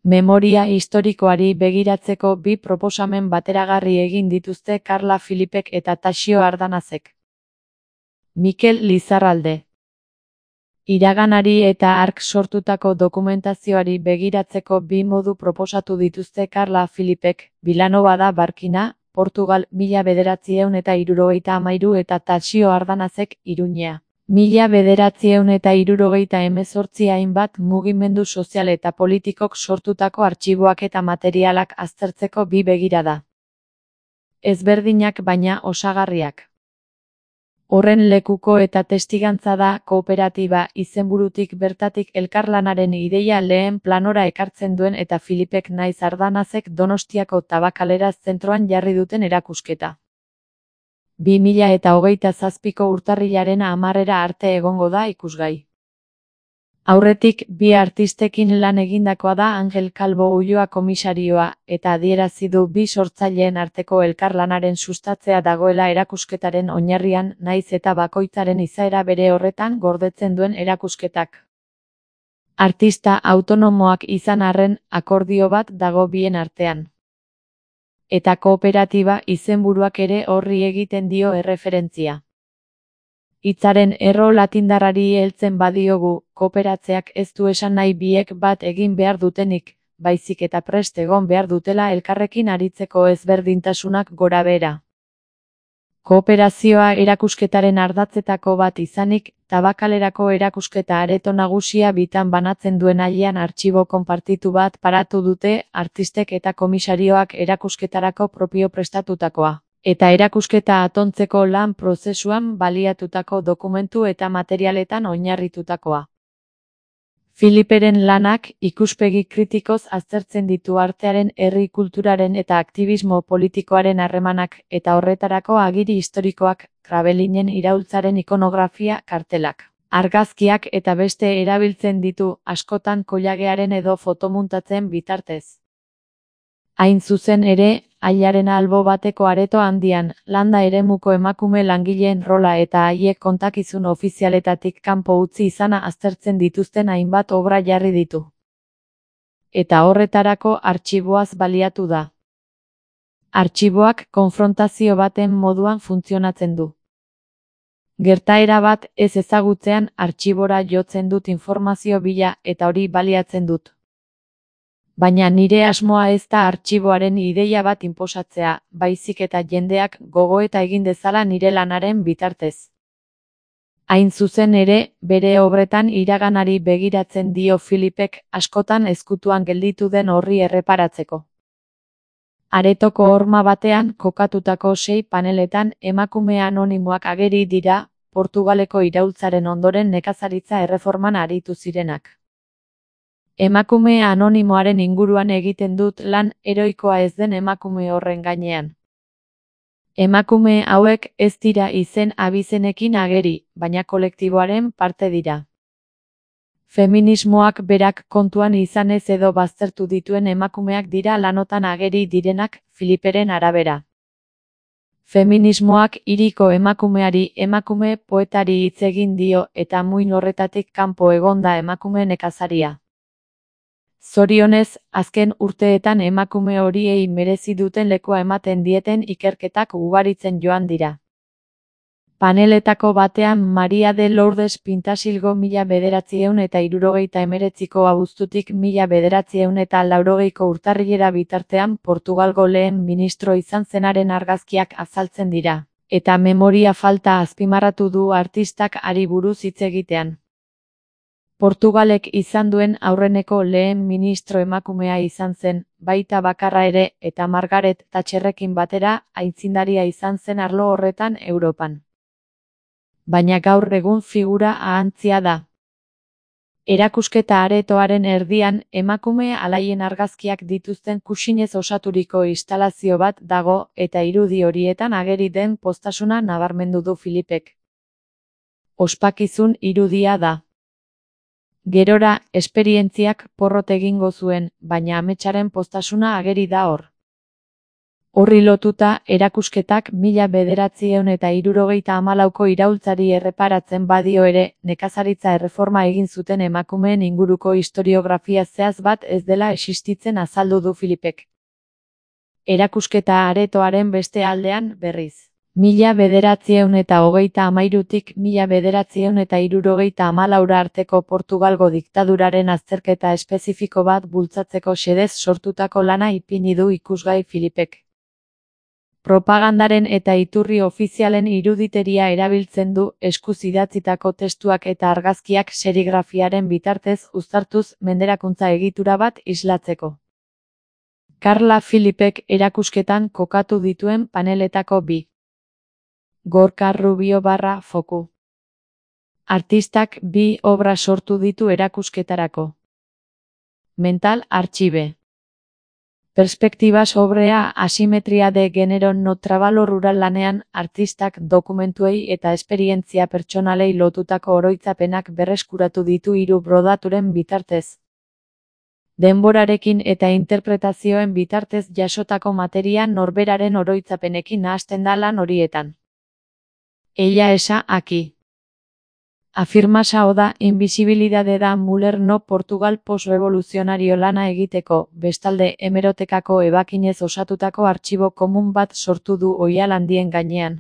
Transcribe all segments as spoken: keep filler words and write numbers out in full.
Memoria historikoari begiratzeko bi proposamen bateragarri egin dituzte Karla Filipek eta Taxio Ardanazek. Mikel Lizarralde. Iraganari eta hark sortutako dokumentazioari begiratzeko bi modu proposatu dituzte Karla Filipek, Vilanova da Barkina, Portugal, mila bederatziehun eta hirurogeita hamairu eta Taxio Ardanazek, Iruñea. Mila bederatziehun eta hirurogeita hemezortzi hainbat mugimendu sozial eta politikok sortutako artxiboak eta materialak aztertzeko bi begirada. Ezberdinak baina osagarriak. Horren lekuko eta testigantza da kooperatiba izenburutik bertatik elkarlanaren ideia lehen planora ekartzen duen eta Filipek naiz Ardanazek Donostiako Tabakalera zentroan jarri duten erakusketa. bi mila eta hogeita zazpiko urtarrilaren hamarera arte egongo da ikusgai. Aurretik, bi artistekin lan egindakoa da Angel Calvo Ulloa komisarioa, eta adierazi du bi sortzaileen arteko elkarlanaren sustatzea dagoela erakusketaren oinarrian naiz eta bakoitzaren izaera bere horretan gordetzen duen erakusketak. Artista autonomoak izan arren, akordio bat dago bien artean. Eta kooperatiba izenburuak ere horri egiten dio erreferentzia. Hitzaren erro latindarrari heltzen badiogu, kooperatzeak ez du esan nahi biek bat egin behar dutenik, baizik eta prest egon behar dutela elkarrekin aritzeko ezberdintasunak gorabehera. Kooperazioa erakusketaren ardatzetako bat izanik, Tabakalerako erakusketa areto nagusia bitan banatzen duen ailean artxibo konpartitu bat paratu dute artistek eta komisarioak erakusketarako propio prestatutakoa, eta erakusketa atontzeko lan prozesuan baliatutako dokumentu eta materialetan oinarritutakoa. Filiperen lanak ikuspegi kritikoz aztertzen ditu artearen, herri kulturaren eta aktivismo politikoaren harremanak eta horretarako agiri historikoak, Krabelinen iraultzaren ikonografia, kartelak, argazkiak eta beste erabiltzen ditu, askotan kollagearen edo fotomuntatzen bitartez. Hain zuzen ere, ailaren albo bateko areto handian, landa eremuko emakume langileen rola eta haiek kontakizun ofizialetatik kanpo utzi izana aztertzen dituzten hainbat obra jarri ditu. Eta horretarako artxiboaz baliatu da. Artxiboak konfrontazio baten moduan funtzionatzen du. Gertaera bat ez ezagutzean artxibora jotzen dut informazio bila eta hori baliatzen dut. Baina nire asmoa ez da artxiboaren ideia bat inposatzea, baizik eta jendeak gogoeta egin dezala nire lanaren bitartez. Hain zuzen ere, bere obretan iraganari begiratzen dio Filipek, askotan ezkutuan gelditu den horri erreparatzeko. Aretoko horma batean kokatutako sei paneletan emakume anonimoak ageri dira, Portugaleko iraultzaren ondoren nekazaritza erreforman aritu zirenak. Emakume anonimoaren inguruan egiten dut lan heroikoa ez den emakume horren gainean. Emakume hauek ez dira izen abizenekin ageri, baina kolektiboaren parte dira. Feminismoak berak kontuan izanez edo baztertu dituen emakumeak dira lanotan ageri direnak, Filiperen arabera. Feminismoak hiriko emakumeari emakume poetari hitz egin dio eta muin horretatik kanpo egonda emakume nekazaria. Zorionez, azken urteetan emakume horiei merezi duten lekua ematen dieten ikerketak ugaritzen joan dira. Paneletako batean Maria de Lourdes Pintasilgo mila bederatziehun eta hirurogeita hemeretziko abuztutik mila bederatziehun eta laurogeiko urtarrilera bitartean Portugalgo lehen ministro izan zenaren argazkiak azaltzen dira, eta memoria falta azpimarratu du artistak hari buruz hitz egitean. Portugalek izan duen aurreneko lehen ministro emakumea izan zen, baita bakarra ere, eta Margaret Thatcherrekin batera aitzindaria izan zen arlo horretan Europan. Baina gaur egun figura ahantzia da. Erakusketa aretoaren erdian, emakume alaien argazkiak dituzten kuxinez osaturiko instalazio bat dago, eta irudi horietan ageri den poztasuna nabarmendu du Filipek. Ospakizun irudia da. Gerora, esperientziak porrot egingo zuen, baina ametsaren poztasuna ageri da hor. Horri lotuta, erakusketak mila bederatziehun eta hirurogeita hamalauko iraultzari erreparatzen badio ere, nekazaritza erreforma egin zuten emakumeen inguruko historiografia zehatz bat ez dela existitzen azaldu du Filipek. Erakusketa aretoaren beste aldean, berriz. Mila bederatziehun eta hogeita hamairutik mila bederatziehun eta hirurogeita hamalaura arteko Portugalgo diktaduraren azterketa espezifiko bat bultzatzeko xedez sortutako lana ipini du ikusgai Filipek. Propagandaren eta iturri ofizialen iruditeria erabiltzen du, eskuz idatzitako testuak eta argazkiak serigrafiaren bitartez uztartuz menderakuntza egitura bat islatzeko. Carla Filipek erakusketan kokatu dituen paneletako bi. Gorka Rubio barra foku. Artistak bi obra sortu ditu erakusketarako. Mental Archive. Perspektibas obrea asimetria de genero no trabalo rural lanean, artistak dokumentuei eta esperientzia pertsonalei lotutako oroitzapenak berreskuratu ditu hiru brodaturen bitartez. Denborarekin eta interpretazioen bitartez jasotako materia norberaren oroitzapenekin nahasten da lan horietan. Ella esa aquí. Afirmasa oda invisibilidade da Muller no Portugal postrevoluzionario lana egiteko, bestalde hemerotekako ebakinez osatutako artxibo komun bat sortu du oihal handien gainean.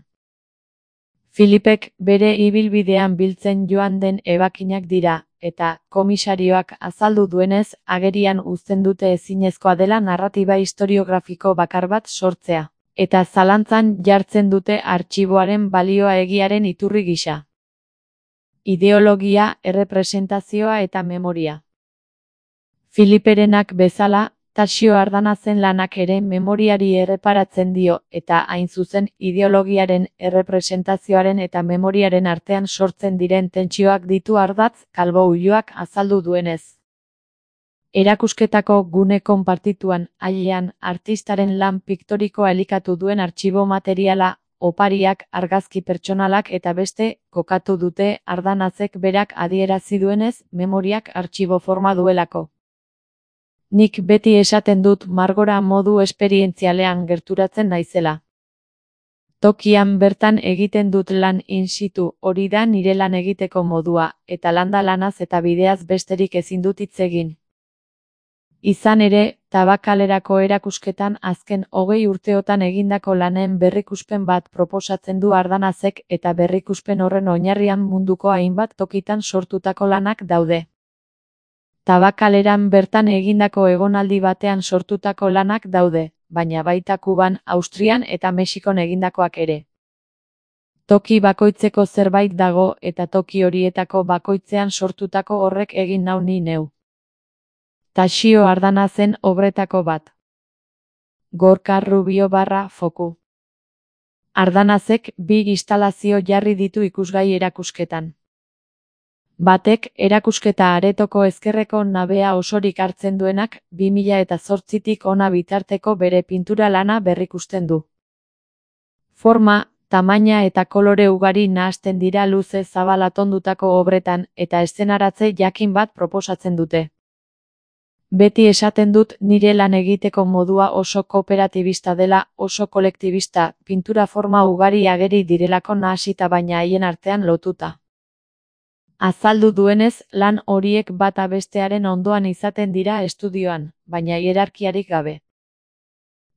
Filipek bere ibilbidean biltzen joan den ebakinak dira, eta komisarioak azaldu duenez, agerian uzten dute ezinezkoa dela narratiba historiografiko bakar bat sortzea, eta zalantzan jartzen dute artxiboaren balioa egiaren iturri gisa. Ideologia, errepresentazioa eta memoria. Filiperenak bezala, Taxio Ardanazen lanak ere memoriari erreparatzen dio, eta hain zuzen ideologiaren, errepresentazioaren eta memoriaren artean sortzen diren tentsioak ditu ardatz, Kalbo Ulloak azaldu duenez. Erakusketako gune konpartituan, ailean, artistaren lan piktorikoa elikatu duen artxibo materiala, opariak, argazki pertsonalak eta beste, kokatu dute Ardanazek berak adierazi duenez, memoriak artxibo forma duelako. Nik beti esaten dut margora modu esperientzialean gerturatzen naizela. Tokian bertan egiten dut lan in situ, hori da nire lan egiteko modua, eta landa lanaz eta bideaz besterik ezin dut hitz egin. Izan ere, Tabakalerako erakusketan azken hogei urteotan egindako lanen berrikuspen bat proposatzen du Ardanazek eta berrikuspen horren oinarrian munduko hainbat tokitan sortutako lanak daude. Tabakaleran bertan egindako egonaldi batean sortutako lanak daude, baina baita Kuban, Austrian eta Mexikon egindakoak ere. Toki bakoitzeko zerbait dago eta toki horietako bakoitzean sortutako horrek egin nau ni neu. Taxio Ardanazen obretako bat. Gorka Rubio barra foku. Ardanazek bi instalazio jarri ditu ikusgai erakusketan. Batek, erakusketa aretoko ezkerreko nabea osorik hartzen duenak, bi mila eta zortzitik ona bitarteko bere pintura lana berrikusten du. Forma, tamaina eta kolore ugari nahasten dira luze zabal atondutako obretan, eta eszenaratze jakin bat proposatzen dute. Beti esaten dut nire lan egiteko modua oso kooperatibista dela, oso kolektibista, pintura forma ugari ageri direlako nahasita baina haien artean lotuta. Azaldu duenez, lan horiek bata bestearen ondoan izaten dira estudioan, baina hierarkiarik gabe.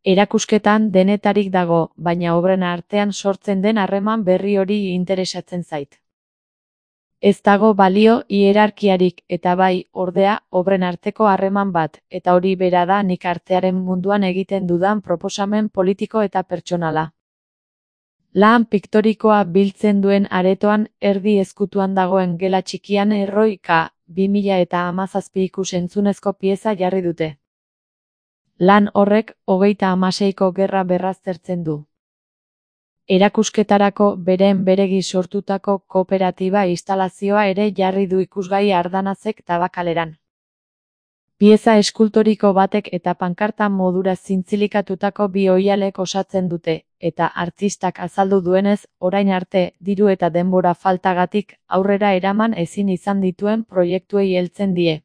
Erakusketan denetarik dago, baina obren artean sortzen den harreman berri hori interesatzen zait. Ez dago balio hierarkiarik eta bai, ordea, obren arteko harreman bat, eta hori bera da nik artearen munduan egiten dudan proposamen politiko eta pertsonala. Lan piktorikoa biltzen duen aretoan erdi ezkutuan dagoen gela txikian Erroi K. bi mila eta hamazazpi ikus-entzunezko pieza jarri dute. Lan horrek hogeita hamaseiko gerra berraztertzen du. Erakusketarako beren beregi sortutako kooperatiba instalazioa ere jarri du ikusgai Ardanazek Tabakaleran. Pieza eskultoriko batek eta pankarta modura zintzilikatutako bi oihalek osatzen dute, eta artistak azaldu duenez, orain arte, diru eta denbora faltagatik, aurrera eraman ezin izan dituen proiektuei heltzen die.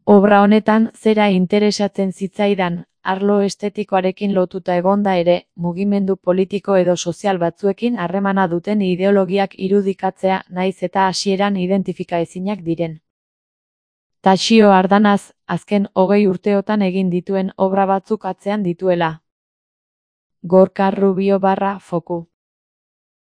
Obra honetan zera interesatzen zitzaidan, arlo estetikoarekin lotuta egonda ere, mugimendu politiko edo sozial batzuekin harremana duten ideologiak irudikatzea naiz eta hasieran identifikaezinak diren. Taxio Ardanaz, azken hogei urteotan egin dituen obra batzuk atzean dituela. Gorka Rubio barra foku.